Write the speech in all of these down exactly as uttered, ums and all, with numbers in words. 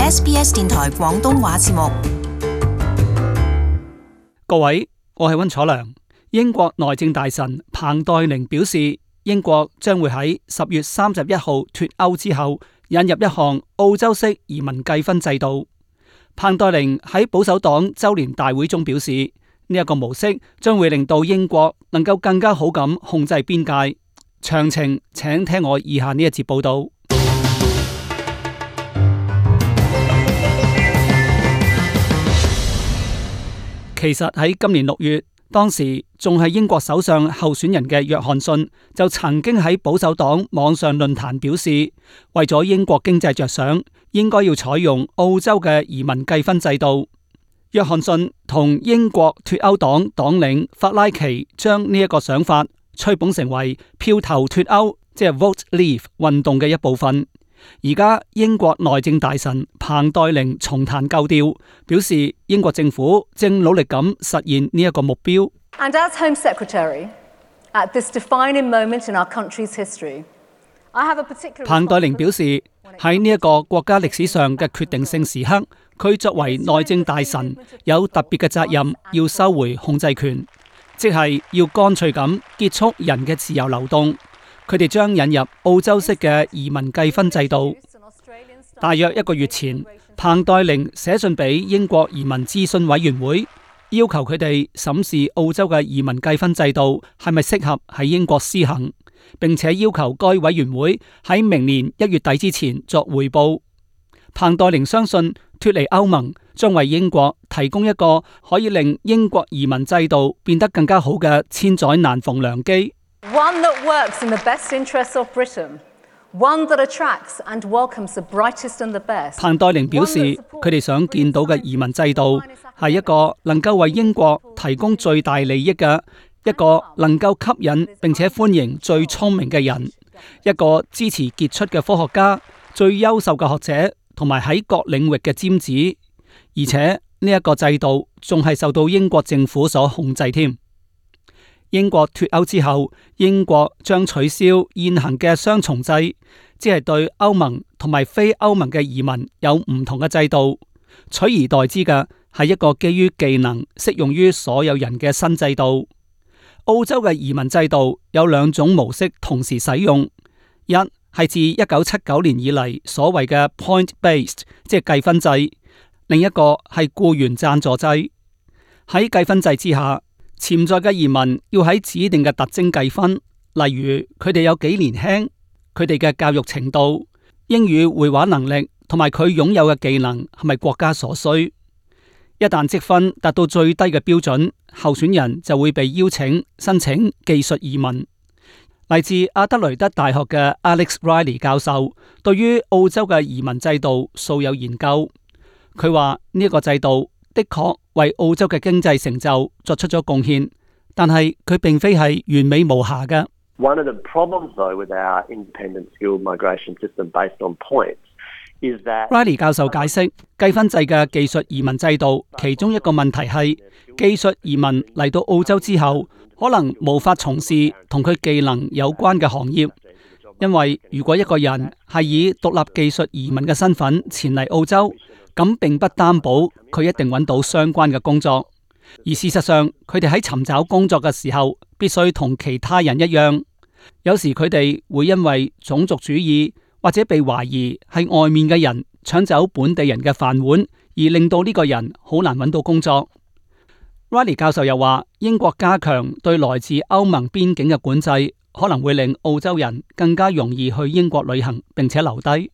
S B S 電台廣東話節目。各位，我係溫楚良。英國內政大臣彭黛玲表示，英國將會喺十月三十一號脫歐之後引入一項澳洲式移民計分制度。彭黛玲喺保守黨周年大會中表示，呢一個模式將會令到英國能夠更加好咁控制邊界。詳情請聽我以下呢一節報道。其實喺今年六月，當時仲係英國首相候選人嘅約翰遜就曾經喺保守黨網上論壇表示，為咗英國經濟着想，應該要採用澳洲嘅移民計分制度。約翰遜同英國脫歐黨黨領法拉奇將呢一個想法吹捧成為票投脫歐，即係 Vote Leave 運動嘅一部分。而家英國內政大臣彭黛玲重彈舊調，表示英國政府正努力咁實現呢一個目標。And as Home Secretary, at this defining moment in our country's history, I have a particular... 彭黛玲表示，喺呢一個國家歷史上嘅決定性時刻，佢作為內政大臣有特別嘅責任，要收回控制權，即係要乾脆咁結束人嘅自由流動。佢哋將引入澳洲式嘅移民計分制度。大約一個月前，彭黛玲寫信俾英國移民諮詢委員會，要求佢哋審視澳洲嘅移民計分制度係咪適合喺英國施行，並且要求該委員會喺明年一月底之前作匯報。彭黛玲相信脫離歐盟將為英國提供一個可以令英國移民制度變得更加好嘅千載難逢良機。One that works in the best interests of Britain, one that attracts and welcomes the brightest and the best. 彭黛玲表示，佢哋想見到嘅移民制度係一個能夠為英國提供最大利益嘅，一個能夠吸引並且歡迎最聰明嘅人，一個支持傑出嘅科學家、最優秀嘅學者同埋喺各領域嘅尖子，而且呢一個制度仲係受到英國政府所控制添。英國脫歐之後，英國將取消現行嘅雙重制，即係對歐盟同埋非歐盟嘅移民有唔同嘅制度，取而代之嘅係一個基於技能適用於所有人嘅新制度。澳洲嘅移民制度有兩種模式同時使用，一係自一九七九年以嚟所謂嘅 point-based， 即係計分制；另一個係僱員贊助制。喺計分制之下，潛在嘅移民要喺指定嘅特徵計分，例如佢哋有幾年輕，佢哋嘅教育程度、英語繪畫能力同埋佢擁有嘅技能係咪國家所需。一旦積分達到最低嘅標準，候選人就會被邀請申請技術移民。嚟自阿德雷德大學嘅 Alex Riley 教授對於澳洲嘅移民制度素有研究，佢話呢一個制度的確為澳洲嘅經濟成就作出咗貢獻，但係佢並非係完美無瑕嘅。One of the problems, though, with our independent skilled migration system based on points is that Riley 教授解釋，計分制嘅技術移民制度，其中一個問題係技術移民嚟到澳洲之後，可能無法從事同佢技能有關嘅行業，因為如果一個人係以獨立技術移民嘅身份前嚟澳洲，咁並不擔保佢一定揾到相關嘅工作，而事實上佢哋喺尋找工作嘅時候，必須同其他人一樣。有時佢哋會因為種族主義或者被懷疑係外面嘅人搶走本地人嘅飯碗，而令到呢個人好難揾到工作。Riley 教授又話，英國加強對來自歐盟邊境嘅管制，可能會令澳洲人更加容易去英國旅行並且留低。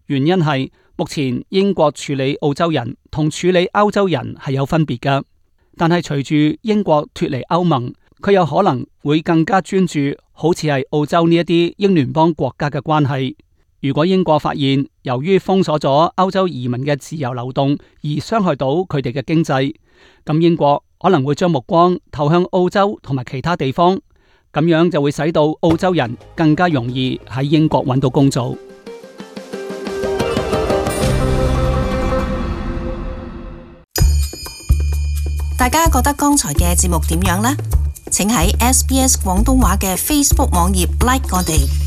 原因係目前英國處理澳洲人同處理歐洲人係有分別嘅，但係隨住英國脫離歐盟，佢有可能會更加專注好似係澳洲呢一啲英聯邦國家嘅關係。如果英國發現由於封鎖咗歐洲移民嘅自由流動而傷害到佢哋嘅經濟，咁英國可能會將目光投向澳洲同埋其他地方，咁樣就會使到澳洲人更加容易喺英國揾到工作。大家覺得剛才嘅節目點樣呢？請喺 S B S 廣東話嘅 Facebook 網頁 like 我哋。